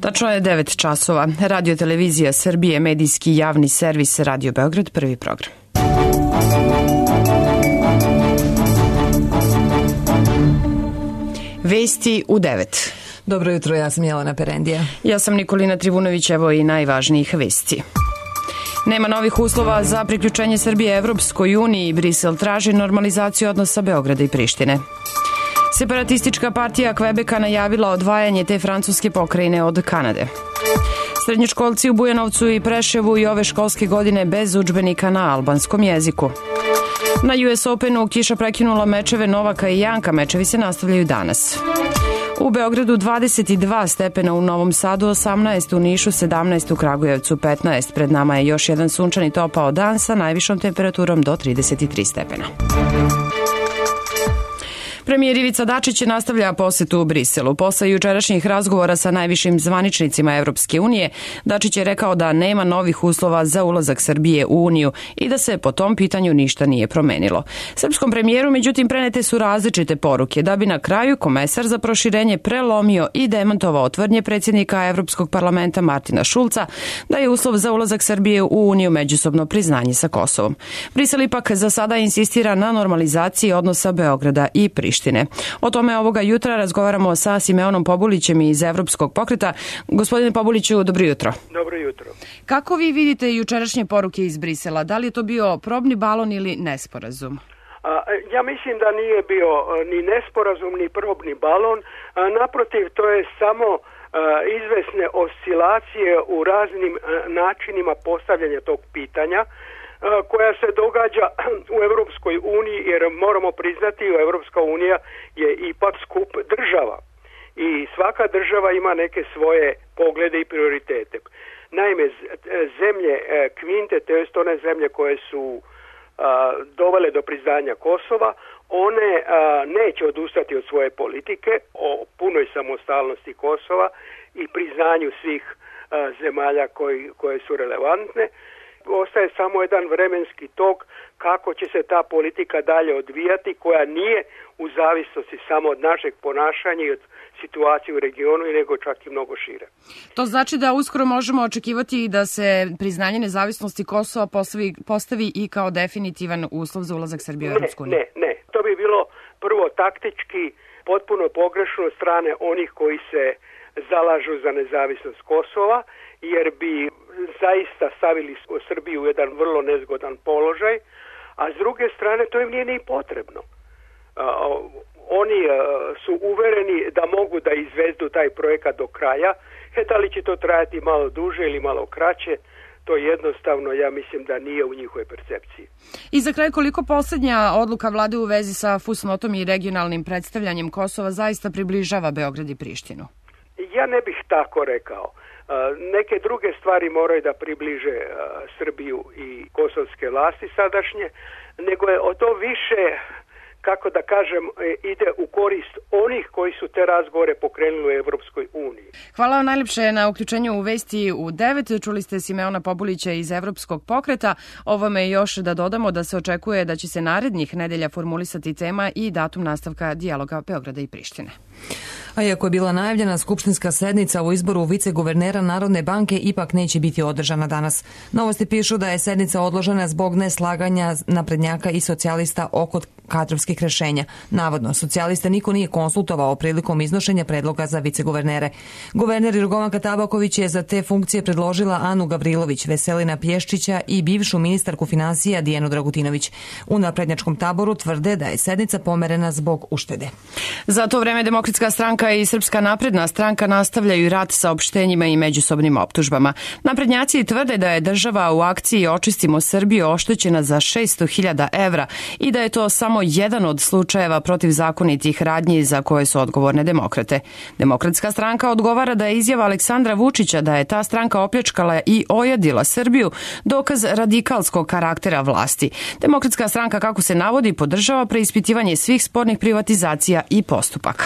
Tačno je 9 časova. Radio televizija Srbije, medijski javni servis Radio Beograd, prvi program. Vesti u 9. Dobro jutro, ja sam Jelena Perendija. Ja sam Nikolina Trivunović, evo i najvažnijih vesti. Nema novih uslova za priključenje Srbije Evropskoj uniji. Brisel traži normalizaciju odnosa Beograda i Prištine. Separatistička partija Kvebeka najavila odvajanje te francuske pokrajine od Kanade. Srednjoškolci u Bujanovcu i Preševu i ove školske godine bez udžbenika na albanskom jeziku. Na US Openu kiša prekinula mečeve Novaka i Janka, mečevi se nastavljaju danas. U Beogradu 22 stepena, u Novom Sadu 18, u Nišu 17, u Kragujevcu 15. Pred nama je još jedan sunčani topao dan sa najvišom temperaturom do 33 stepena. Premijer Ivica Dačić nastavlja posetu u Briselu. Posle jučerašnjih razgovora sa najvišim zvaničnicima Evropske unije, Dačić je rekao da nema novih uslova za ulazak Srbije u Uniju i da se po tom pitanju ništa nije promenilo. Srpskom premijeru, međutim, prenete su različite poruke, da bi na kraju komesar za proširenje prelomio i demantovao tvrdnje predsjednika Evropskog parlamenta Martina Šulca da je uslov za ulazak Srbije u Uniju međusobno priznanje sa Kosovom. Brisel ipak za sada insistira na normalizaciji odnosa Beograda i Prištine. O tome ovoga jutra razgovaramo sa Simeonom Pobulićem iz Evropskog pokreta. Gospodine Pobuliću, dobro jutro. Dobro jutro. Kako vi vidite jučerašnje poruke iz Brisela? Da li je to bio probni balon ili nesporazum? Ja mislim da nije bio ni nesporazum, ni probni balon. Naprotiv, to je samo izvesne oscilacije u raznim načinima postavljanja tog pitanja koja se događa u Europskoj uniji, jer moramo priznati, Europska unija je ipak skup država i svaka država ima neke svoje poglede i prioritete. Naime, zemlje kvinte, to jest one zemlje koje su dovele do priznanja Kosova, one neće odustati od svoje politike o punoj samostalnosti Kosova i priznanju svih zemalja koje su relevantne. Ostaje samo jedan vremenski tok kako će se ta politika dalje odvijati, koja nije u zavisnosti samo od našeg ponašanja i od situacije u regionu, nego čak i mnogo šire. To znači da uskoro možemo očekivati da se priznanje nezavisnosti Kosova postavi i kao definitivan uslov za ulazak Srbije u Evropsku uniju? Ne. To bi bilo prvo taktički potpuno pogrešno od strane onih koji se zalažu za nezavisnost Kosova, jer bi zaista stavili Srbiju u jedan vrlo nezgodan položaj, a s druge strane to im nije ni potrebno. Oni su uvereni da mogu da izvedu taj projekat do kraja. Da li će to trajati malo duže ili malo kraće, to jednostavno, ja mislim da nije u njihovoj percepciji. I za kraj, koliko posljednja odluka vlade u vezi sa fusnotom i regionalnim predstavljanjem Kosova zaista približava Beograd i Prištinu? Ja ne bih tako rekao. Neke druge stvari moraju da približe Srbiju i kosovske vlasti sadašnje, nego je o to više, kako da kažem, ide u korist onih koji su te razgovore pokrenuli u Evropskoj uniji. Hvala vam najljepše na uključenju u Vesti u 9. Čuli ste Simeona Pobulića iz Evropskog pokreta. Ovome još da dodamo da se očekuje da će se narednih nedelja formulisati tema i datum nastavka dijaloga Beograda i Prištine. A iako je bila najavljena skupštinska sednica o izboru viceguvernera Narodne banke, ipak neće biti održana danas. Novosti pišu da je sednica odložena zbog neslaganja naprednjaka i socijalista oko kadrovskih rešenja. Navodno, socijaliste niko nije konsultovao prilikom iznošenja predloga za viceguvernere. Guverner Jorgovanka Tabaković je za te funkcije predložila Anu Gavrilović, Veselina Pješčića i bivšu ministarku finansija Dijanu Dragutinović. U naprednjačkom taboru tvrde da je sednica pomerena zbog uštede. Za to vreme Demokratska stranka i Srpska napredna stranka nastavljaju rat saopštenjima i međusobnim optužbama. Naprednjaci tvrde da je država u akciji Očistimo Srbiju oštećena za 600.000 evra i da je to samo jedan od slučajeva protivzakonitih radnji za koje su odgovorne demokrate. Demokratska stranka odgovara da je izjava Aleksandra Vučića da je ta stranka opljačkala i ojadila Srbiju dokaz radikalskog karaktera vlasti. Demokratska stranka, kako se navodi, podržava preispitivanje svih spornih privatizacija i postupaka.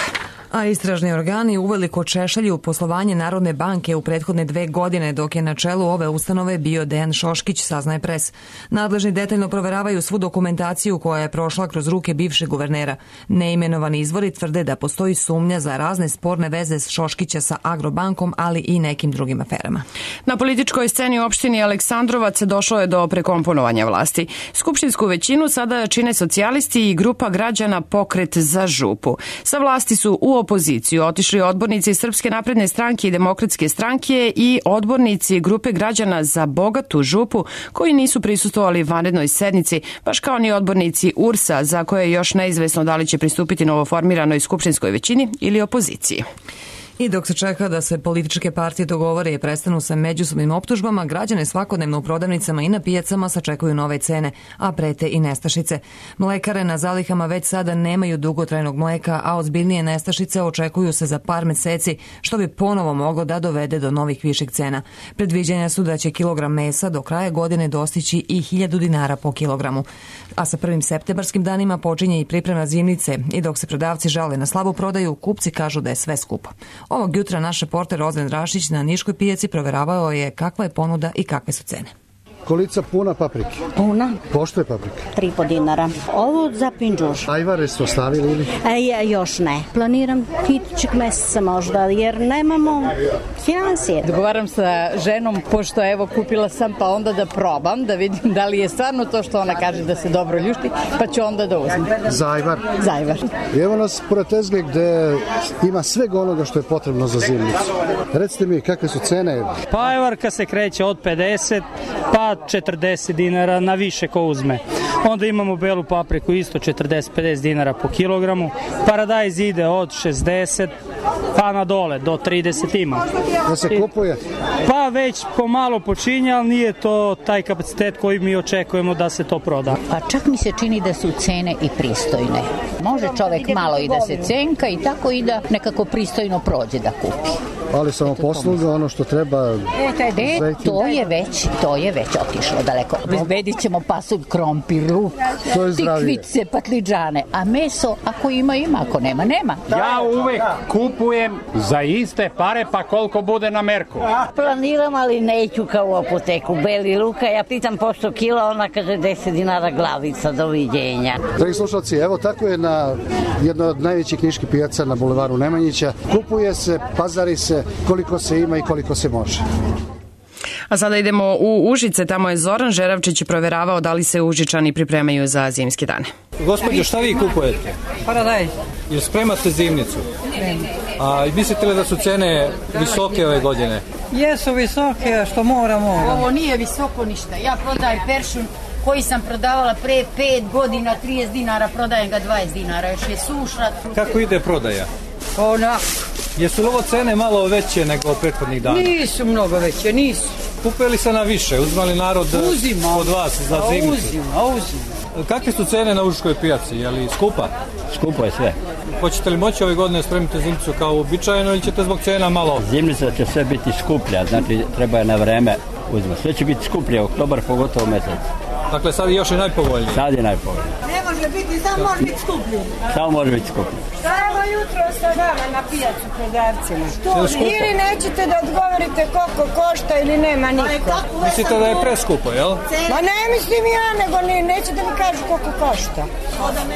A istražni organi uveliko češljaju poslovanje Narodne banke u prethodne 2 godine, dok je na čelu ove ustanove bio Dejan Šoškić, saznaje Pres. Nadležni detaljno proveravaju svu dokumentaciju koja je prošla kroz ruke bivšeg guvernera. Neimenovani izvori tvrde da postoji sumnja za razne sporne veze Šoškića sa Agrobankom, ali i nekim drugim aferama. Na političkoj sceni u opštini Aleksandrovac došlo je do prekomponovanja vlasti. Skupštinsku većinu sada čine socijalisti i grupa građana Pokret za župu. Sa vlasti su u opoziciju otišli odbornici Srpske napredne stranke i Demokratske stranke i odbornici grupe građana za bogatu župu koji nisu prisustvovali vanrednoj sednici, baš kao ni odbornici URS-a za koje je još neizvesno da li će pristupiti novoformiranoj skupštinskoj većini ili opoziciji. I dok se čeka da se političke partije dogovore i prestanu sa međusobnim optužbama, građane svakodnevno u prodavnicama i na pijacama sačekuju nove cene, a prete i nestašice. Mlekare na zalihama već sada nemaju dugotrajnog mleka, a ozbiljnije nestašice očekuju se za par meseci, što bi ponovo moglo da dovede do novih viših cena. Predviđanja su da će kilogram mesa do kraja godine dostići i 1000 dinara po kilogramu. A sa 1. septembarskim danima počinje i priprema zimnice i dok se prodavci žale na slabu prodaju, kupci kažu da je sve skupo. Ovog jutra naš reporter Rozven Rašić na Niškoj pijaci proveravao je kakva je ponuda i kakve su cene. Kolica puna paprike? Puna. Pošto je paprika? 3,5 dinara. Ovo za pinđuš. Ajvare ste ostavili ili? Još ne. Planiram idućeg meseca možda, jer nemamo finansije. Dogovaram sa ženom, pošto evo kupila sam, pa onda da probam, da vidim da li je stvarno to što ona kaže da se dobro ljušti, pa ću onda da uzmem. Za ajvar? Za ajvar. Evo nas pored tezge gde ima svega onoga što je potrebno za zimnicu. Recite mi, kakve su cene? Pa ajvarka se kreće od 50 pa 40 dinara na više ko uzme. Onda imamo belu papriku isto 40-50 dinara po kilogramu. Paradajz ide od 60 pa na dole do 30 ima. Da se kupuje? Pa već pomalo počinje, ali nije to taj kapacitet koji mi očekujemo da se to proda. Pa čak mi se čini da su cene i pristojne. Može čovek malo i da se cenka i tako i da nekako pristojno prođe da kupi. Ali samo posluga, ono što treba... To je već otišlo daleko. Bezbedit ćemo pasulj, krompir, luk, tikvice, patliđane, a meso ako ima, ako nema, nema. Ja uvek kupujem za iste pare, pa koliko bude na merku. Planiram, ali neću kao u apoteku. Beli luka, ja pitam pošto kila, ona kaže 10 dinara glavica, doviđenja. Dragi slušalci, evo tako je na jednoj od najvećih niških pijaca na bulevaru Nemanjića. Kupuje se, pazari se, koliko se ima i koliko se može. A sada idemo u Užice, tamo je Zoran Žeravčić proveravao da li se Užičani pripremaju za zimske dane. Gospođo, šta vi kupujete? Paradajz. Jel spremate zimnicu? A mislite li da su cene visoke ove godine? Jesu visoke, što moramo. Ovo nije visoko ništa. Ja prodajem peršun koji sam prodavala pre 5 godina, 30 dinara, prodajem ga 20 dinara, još je suša. Kako ide prodaja? Onako. Jesu li ovo cene malo veće nego prethodnih dana? Nisu mnogo veće, nisu. Kupili se na više, uzmali narod od vas za zimnicu? Uzima. Kakve su cene na Užičkoj pijaci? Je li skupa? Skupo je sve. Hoćete li moći ove godine spremiti zimnicu kao uobičajeno ili ćete zbog cena malo? Zimnica će sve biti skuplja, znači treba je na vreme uzmati. Sve će biti skuplje, oktobar pogotovo mesec. Dakle, sad je još i najpovoljnije? Sad je najpovoljnije. Ne može biti, samo može biti skuplje. Samo može biti skuplje. Evo jutro sa vama na pijacu prodavcima. Ili nećete da odgovorite koliko košta ili nema niko. Mislite da je preskupo, jel? Ma ne mislim ja, nego neće da mi kažu koliko košta.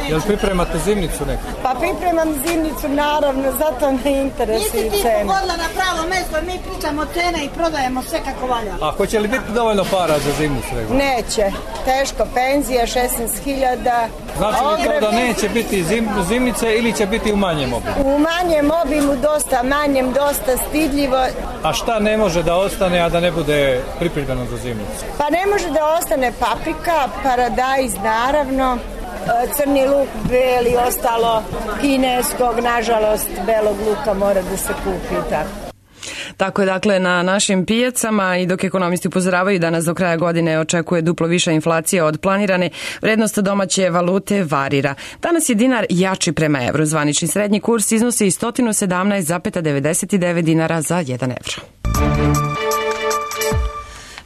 Jel pripremate zimnicu neku? Pa pripremam zimnicu, naravno, zato me interesuje i cena. Nisi ti pogodila na pravo mesto, mi pričamo cene i prodajemo sve kako valja. A hoće li biti dovoljno para za zimnicu? Neće. Teško, penzija 16.000. Znači li to da neće biti zimnice ili će biti u manjem obimu? U manjem obimu, dosta manjem, dosta stidljivo. A šta ne može da ostane, a da ne bude pripremljeno za zimnicu? Pa ne može da ostane paprika, paradajz naravno, crni luk, beli, ostalo kineskog, nažalost, belog luka mora da se kupi i tako. Tako je dakle na našim pijacama i dok ekonomisti upozoravaju da nas do kraja godine očekuje duplo viša inflacija od planirane, vrednost domaće valute varira. Danas je dinar jači prema evru. Zvanični srednji kurs iznosi 117,99 dinara za 1 evro.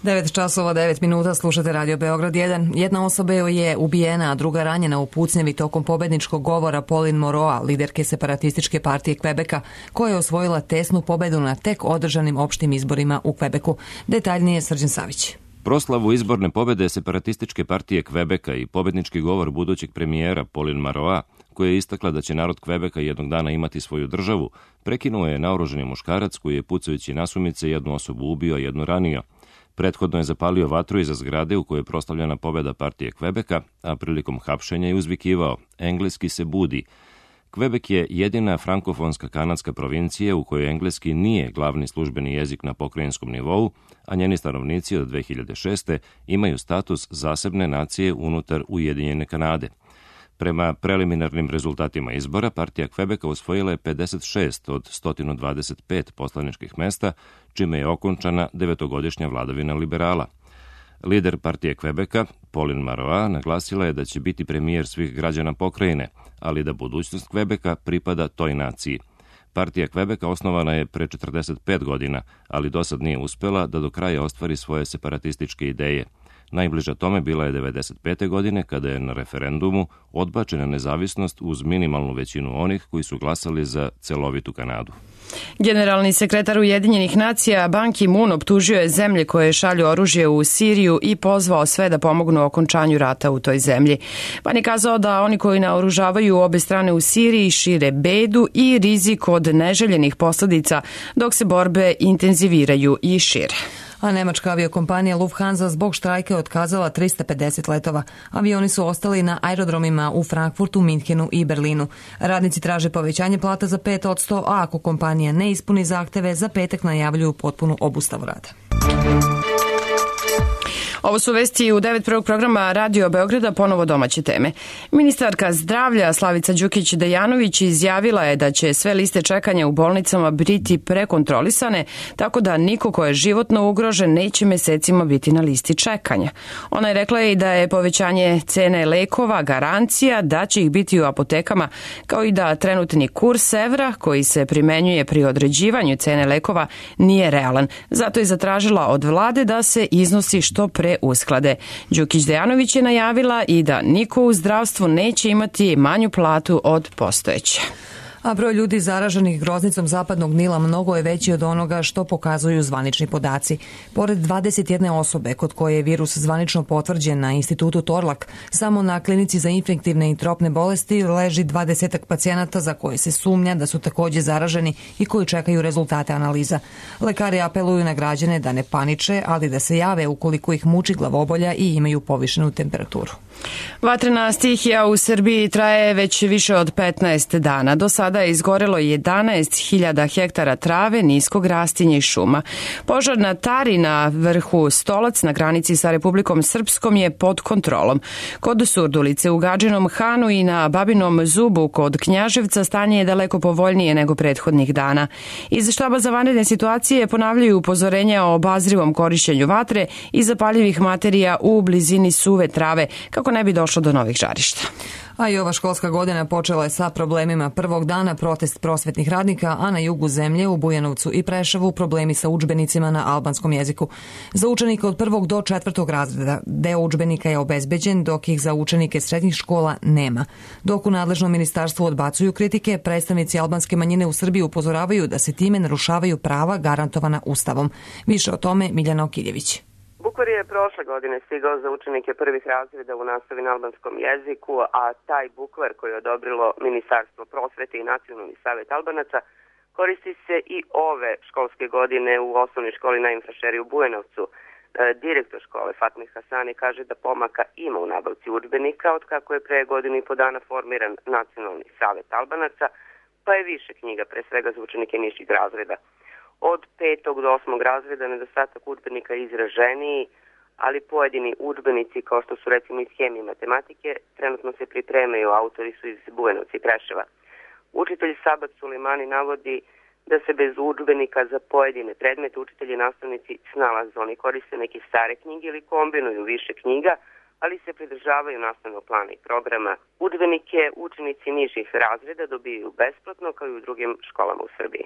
9:09 slušate Radio Beograd 1. Jedna osoba je ubijena, a druga ranjena u pucnjevi tokom pobedničkog govora Pauline Marois, liderke separatističke partije Kvebeka, koja je osvojila tesnu pobedu na tek održanim opštim izborima u Kvebeku. Detaljnije Srđan Savić. Proslavu izborne pobede separatističke partije Kvebeka i pobednički govor budućeg premijera Pauline Marois, koja je istakla da će narod Kvebeka jednog dana imati svoju državu, prekinuo je naoružani muškarac koji je pucajući nasumice jednu osobu ubio, a jednu ranio. Prethodno je zapalio vatru iza zgrade u kojoj je proslavljena pobeda partije Kvebeka, a prilikom hapšenja je uzvikivao "Engleski se budi". Kvebek je jedina frankofonska kanadska provincija u kojoj engleski nije glavni službeni jezik na pokrajinskom nivou, a njeni stanovnici od 2006. imaju status zasebne nacije unutar Ujedinjene Kanade. Prema preliminarnim rezultatima izbora, partija Kvebeka osvojila je 56 od 125 poslaničkih mesta, čime je okončana 9-godišnja vladavina liberala. Lider partije Kvebeka, Pauline Marois, naglasila je da će biti premijer svih građana pokrajine, ali da budućnost Kvebeka pripada toj naciji. Partija Kvebeka osnovana je pre 45 godina, ali dosad nije uspela da do kraja ostvari svoje separatističke ideje. Najbliža tome bila je 1995. godine, kada je na referendumu odbačena nezavisnost uz minimalnu većinu onih koji su glasali za celovitu Kanadu. Generalni sekretar Ujedinjenih nacija Ban Ki-moon optužio je zemlje koje šalju oružje u Siriju i pozvao sve da pomognu okončanju rata u toj zemlji. Ban je kazao da oni koji naoružavaju obe strane u Siriji šire bedu i rizik od neželjenih posledica, dok se borbe intenziviraju i šire. A nemačka aviokompanija Lufthansa zbog štrajka je otkazala 350 letova. Avioni su ostali na aerodromima u Frankfurtu, Minhenu i Berlinu. Radnici traže povećanje plata za 5%, a ako kompanija ne ispuni zahteve, za petak najavljuju potpunu obustavu rada. Ovo su vesti u 9 prvog programa Radio Beograda, ponovo domaće teme. Ministarka zdravlja Slavica Đukić-Dejanović izjavila je da će sve liste čekanja u bolnicama biti prekontrolisane, tako da niko ko je životno ugrožen neće mesecima biti na listi čekanja. Ona je rekla i da je povećanje cene lekova garancija da će ih biti u apotekama, kao i da trenutni kurs evra koji se primenjuje pri određivanju cene lekova nije realan. Zato je zatražila od vlade da se iznosi što pre usklade. Đukić-Dejanović je najavila i da niko u zdravstvu neće imati manju platu od postojeće. A broj ljudi zaraženih groznicom zapadnog Nila mnogo je veći od onoga što pokazuju zvanični podaci. Pored 21 osobe kod koje je virus zvanično potvrđen na institutu Torlak, samo na klinici za infektivne i tropne bolesti leži 20 pacijenata za koje se sumnja da su takođe zaraženi i koji čekaju rezultate analiza. Lekari apeluju na građane da ne paniče, ali da se jave ukoliko ih muči glavobolja i imaju povišenu temperaturu. Vatrena stihija u Srbiji traje već više od 15 dana. Do sada je izgorelo 11.000 hektara trave, niskog rastinja i šuma. Požar na Tari na vrhu Stolac na granici sa Republikom Srpskom je pod kontrolom. Kod Surdulice u Gadžinom Hanu i na Babinom Zubu kod Knjaževca stanje je daleko povoljnije nego prethodnih dana. Iz štaba za vanredne situacije ponavljaju upozorenja o obazrivom korišćenju vatre i zapaljivih materija u blizini suve trave, kako ne bi došlo do novih žarišta. A i ova školska godina počela je sa problemima. Prvog dana protest prosvetnih radnika, a na jugu zemlje u Bujanovcu i Preševu problemi sa udžbenicima na albanskom jeziku. Za učenike od 1. do 4. razreda deo udžbenika je obezbeđen, dok ih za učenike srednjih škola nema. Dok u nadležnom ministarstvu odbacuju kritike, predstavnici albanske manjine u Srbiji upozoravaju da se time narušavaju prava garantovana Ustavom. Više o tome Miljana Okiljević. Bukvar je prošle godine stigao za učenike prvih razreda u nastavi na albanskom jeziku, a taj bukvar koji je odobrilo Ministarstvo prosvete i Nacionalni savet Albanaca koristi se i ove školske godine u osnovnoj školi na Infrašeri u Bujanovcu. Direktor škole Fatmih Hasani kaže da pomaka ima u nabavci udžbenika od kako je pre godinu i po dana formiran Nacionalni savet Albanaca, pa je više knjiga pre svega za učenike nižih razreda. Od 5. do 8. razreda nedostatak udžbenika je izraženiji, ali pojedini udžbenici kao što su recimo iz hemije i matematike trenutno se pripremaju, autori su iz Bujanovca i Preševa. Učitelj Sabat Sulimani navodi da se bez udžbenika za pojedine predmete učitelji i nastavnici snalaze. Oni koriste neke stare knjige ili kombinuju više knjiga, ali se pridržavaju nastavnog plana i programa. Udžbenike učenici nižih razreda dobijaju besplatno kao i u drugim školama u Srbiji.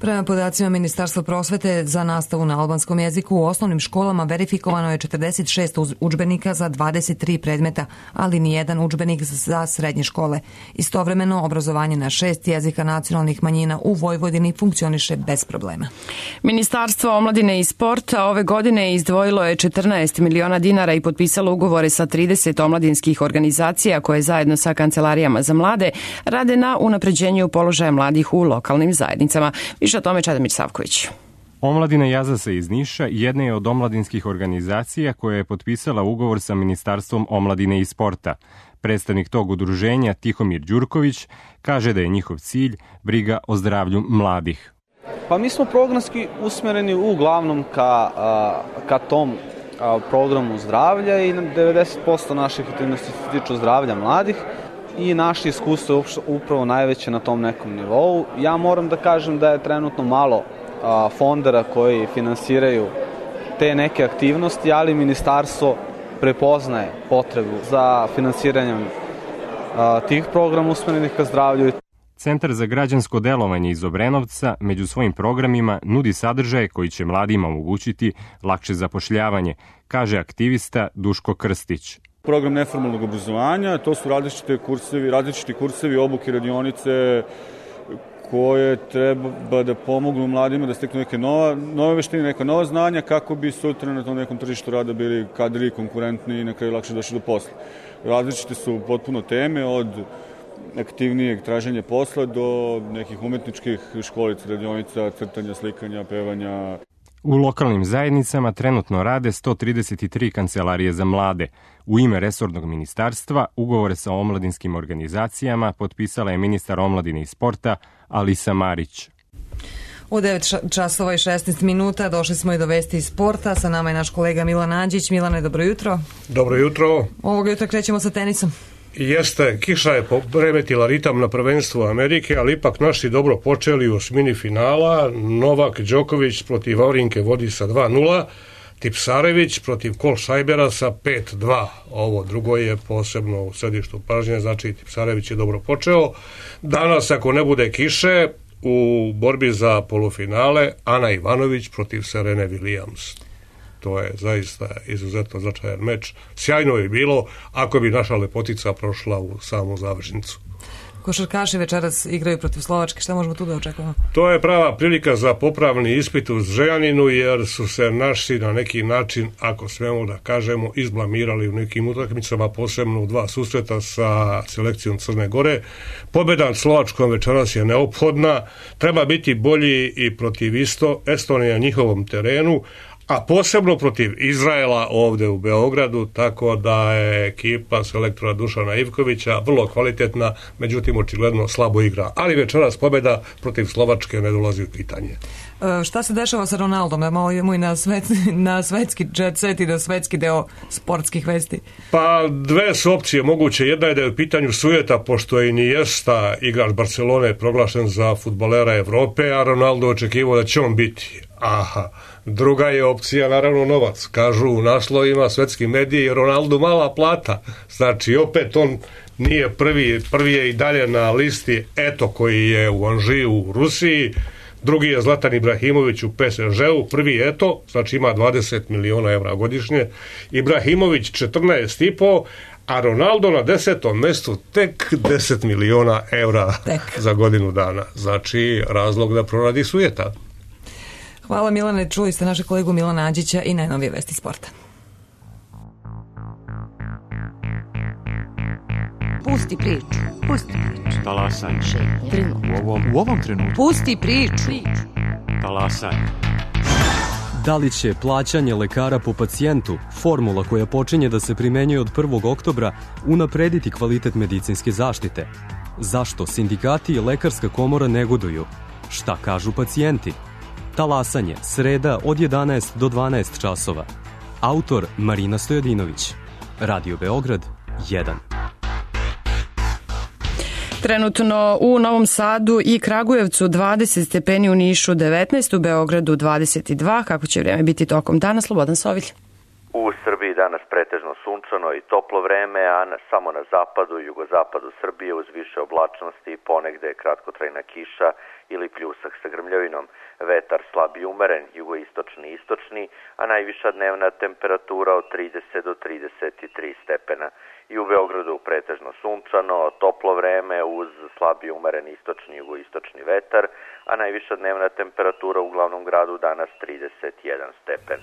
Prema podacima Ministarstva prosvete, za nastavu na albanskom jeziku u osnovnim školama verifikovano je 46 udžbenika za 23 predmeta, ali ni jedan udžbenik za srednje škole. Istovremeno, obrazovanje na 6 jezika nacionalnih manjina u Vojvodini funkcioniše bez problema. Ministarstvo omladine i sporta ove godine izdvojilo je 14 miliona dinara i potpisalo ugovore sa 30 omladinskih organizacija koje zajedno sa kancelarijama za mlade rade na unapređenju položaja mladih u lokalnim zajednicama. Više o tome Čedomir Savković. Omladina Jazase iz Niša jedna je od omladinskih organizacija koja je potpisala ugovor sa Ministarstvom omladine i sporta. Predstavnik tog udruženja Tihomir Đurković kaže da je njihov cilj briga o zdravlju mladih. Pa mi smo programski usmereni uglavnom ka tom programu zdravlja i 90% naših aktivnosti se tiču zdravlja mladih i naše iskustvo je upravo najveće na tom nekom nivou. Ja moram da kažem da je trenutno malo fondera koji finansiraju te neke aktivnosti, ali ministarstvo prepoznaje potrebu za finansiranjem tih programa usmerenih ka zdravlju. Centar za građansko delovanje iz Obrenovca među svojim programima nudi sadržaje koji će mladima omogućiti lakše zapošljavanje, kaže aktivista Duško Krstić. Program neformalnog obrazovanja, to su različiti kursevi, obuke, radionice koje treba da pomognu mladima da steknu neke nove veštine, neka nova znanja kako bi sutra na tom nekom tržištu rada bili kadri, konkurentni i na kraju lakše došli do posla. Različite su potpuno teme od aktivnijeg traženja posla do nekih umetničkih školica, radionica, crtanja, slikanja, pevanja. U lokalnim zajednicama trenutno rade 133 kancelarije za mlade. U ime resornog ministarstva ugovore sa omladinskim organizacijama potpisala je ministar omladine i sporta Alisa Marić. U 9 časova i 16 minuta došli smo i do vesti iz sporta. Sa nama je naš kolega Milan Anđić. Milane, dobro jutro. Dobro jutro. Ovog jutra krećemo sa tenisom. Jeste, kiša je poremetila ritam na prvenstvu Amerike, ali ipak naši dobro počeli u osmini finala. Novak Đoković protiv Vavrinke vodi sa 2-0, Tipsarević protiv Kolšajbera sa 5-2. Ovo drugo je posebno u središtu pažnje, znači Tipsarević je dobro počeo. Danas, ako ne bude kiše, u borbi za polufinale Ana Ivanović protiv Serene Williams. To je zaista izuzetno značajan meč. Sjajno je bilo ako bi naša lepotica prošla u samu završnicu. Košarkaši večeras igraju protiv Slovačke. Šta možemo tu da očekujemo? To je prava prilika za popravni ispit u Zrenjaninu, jer su se naši na neki način, ako smemo da kažemo, izblamirali u nekim utakmicama, posebno u 2 susreta sa selekcijom Crne Gore. Pobjeda nad Slovačkom večeras je neophodna. Treba biti bolji i protiv Estonije na njihovom terenu, a posebno protiv Izraela ovde u Beogradu, tako da je ekipa selektora Dušana Ivkovića vrlo kvalitetna, međutim očigledno slabo igra. Ali večeras pobjeda protiv Slovačke ne dolazi u pitanje. Šta se dešava sa Ronaldom? Da malo idemo i na svetski jet set i na svetski deo sportskih vesti. Pa dve su opcije moguće. Jedna je da je u pitanju sujeta, pošto je Iniesta, igrač Barcelone, proglašen za fudbalera Evrope, a Ronaldo očekivao da će on biti. Aha. Druga je opcija, naravno, novac. Kažu u naslovima svetski mediji Ronaldo mala plata. Znači, opet on nije prvi je i dalje na listi Eto koji je u Anžiju u Rusiji. Drugi je Zlatan Ibrahimović u PSG-u. Prvi Eto, znači ima 20 miliona evra godišnje. Ibrahimović 14,5, a Ronaldo na 10. mestu tek 10 miliona evra za godinu dana. Znači, razlog da proradi sujeta. Hvala Milane, čuli ste našeg kolegu Milana Anđića i najnovije vesti sporta. Pusti priču. Talasaj. U ovom trenutku. Pusti priču. Talasaj. Da li će plaćanje lekara po pacijentu, formula koja počinje da se primenjuje od 1. oktobra, unaprediti kvalitet medicinske zaštite? Zašto sindikati i lekarska komora negoduju? Šta kažu pacijenti? Talasanje, sreda od 11 do 12 časova. Autor Marina Stojadinović. Radio Beograd 1. Trenutno u Novom Sadu i Kragujevcu 20 stepeni, u Nišu 19, u Beogradu 22. Kako će vrijeme biti tokom dana? Slobodan Sovilj. U Srbiji danas pretežno sunčano i toplo vreme, a samo na zapadu i jugozapadu Srbije uz više oblačnosti i ponegde kratkotrajna kiša ili pljusak sa grmljavinom. Vetar slab i umeren, jugoistočni i istočni, a najviša dnevna temperatura od 30 do 33 stepena. I u Beogradu pretežno sunčano, toplo vreme uz slab i umeren istočni i jugoistočni vetar, a najviša dnevna temperatura u glavnom gradu danas 31 stepen.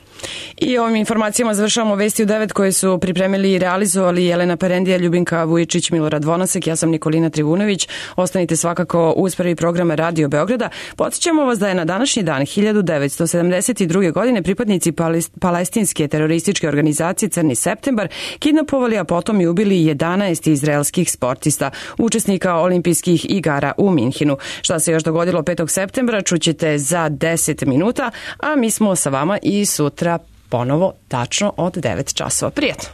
I ovim informacijama završavamo vesti u 9 koje su pripremili i realizovali Jelena Perendija, Ljubinka Vujičić, Milorad Vonasek, ja sam Nikolina Trivunović. Ostanite svakako uz prvi program Radio Beograda. Podsjećamo vas da je na današnji dan 1972. godine pripadnici palestinske terorističke organizacije Crni septembar kidnapovali, a potom i ubili 11 izraelskih sportista, učesnika olimpijskih igara u Minhinu. Šta se još dogodilo 5. septembra čućete za 10 minuta, a mi smo sa vama i sutra ponovo tačno od 9 časova. Prijetno!